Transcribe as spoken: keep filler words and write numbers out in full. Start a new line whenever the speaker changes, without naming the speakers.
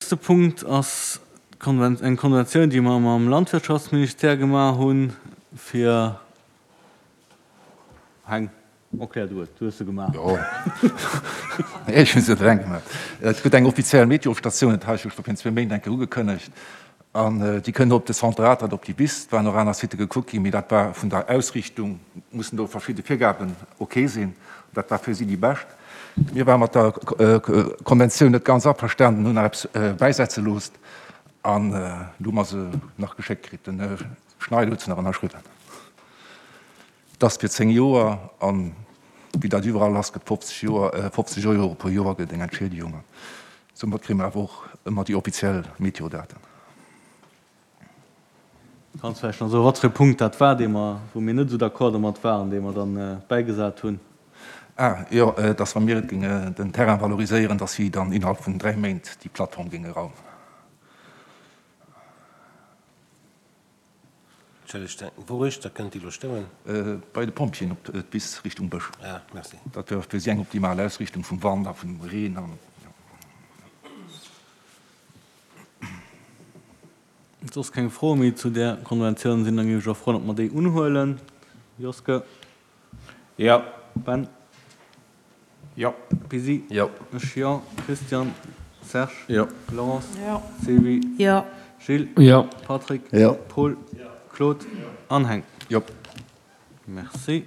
Nächste Punkt ass eng Konventioun, déi mer mam Landwirtschaftsministère gemaach hunn, fir. Heng, erklär du et, du hues se gemaach.
Jo, ech hunn se eleng gemaach. Et gëtt eng offiziell Meteostatioun, dat hat ech jo scho virun zwee Méint eng Kéier ugekënnegt, an déi kënnt op de Centre Atert op déi Wiss. Et waren och aner Sitte gekuckt ginn, mee dat war vun der Ausrichtung, mussen do verschidde Virgaben ok sinn, dat war fir si déi bescht. Mir ware mat der Konventioun net ganz averstanen, hunn nach eppes bäisetze loosst an elo hu mer se nach geschéckt kritt. Den Här Schneider huet se nach ënnerschriwwen. Et ass fir zéng Joer an wéi dat iwwerall ass, gëtt fofzeg Joer, fofzeg Euro pro Joer gëtt eng Entschiedegung an soumat kréie mer awer och ëmmer déi offiziell Meteodaten.
Kanns vläicht nach soen, wat fir e Punkt dat war, dee mer, wou mir net esou d'accord domat waren, dee mer dann bäigesat hunn?
Ah, jo, dass wa mir et géinge den Terrain valoriséieren, dass si dann innerhalb vun dräi Méint déi Plattform géinge raumen.
Entschëllegt, wou riichter kënnt déi elo stoen?
Bei de Pompjeeën op d'Wiss Richtung Bësch.
Ah, merci.
Dat wär fir si eng optimal Ausrichtung vum Wand a vum Reen an, jo.
Soss keng Froe méi zu där Konventioun sinn, da géif ech och froen, ob mer déi unhuelen. Joske?
Jo.
Ben?
Jo.
Pisi?
Jo.
Ech jo. Christian? Serge?
Jo.
Laurence?
Jo.
Sylvie?
Jo.
Gilles?
Jo.
Patrick?
Jo.
Paul?
Jo.
Claude?
Jo.
An Heng?
Jo.
Merci.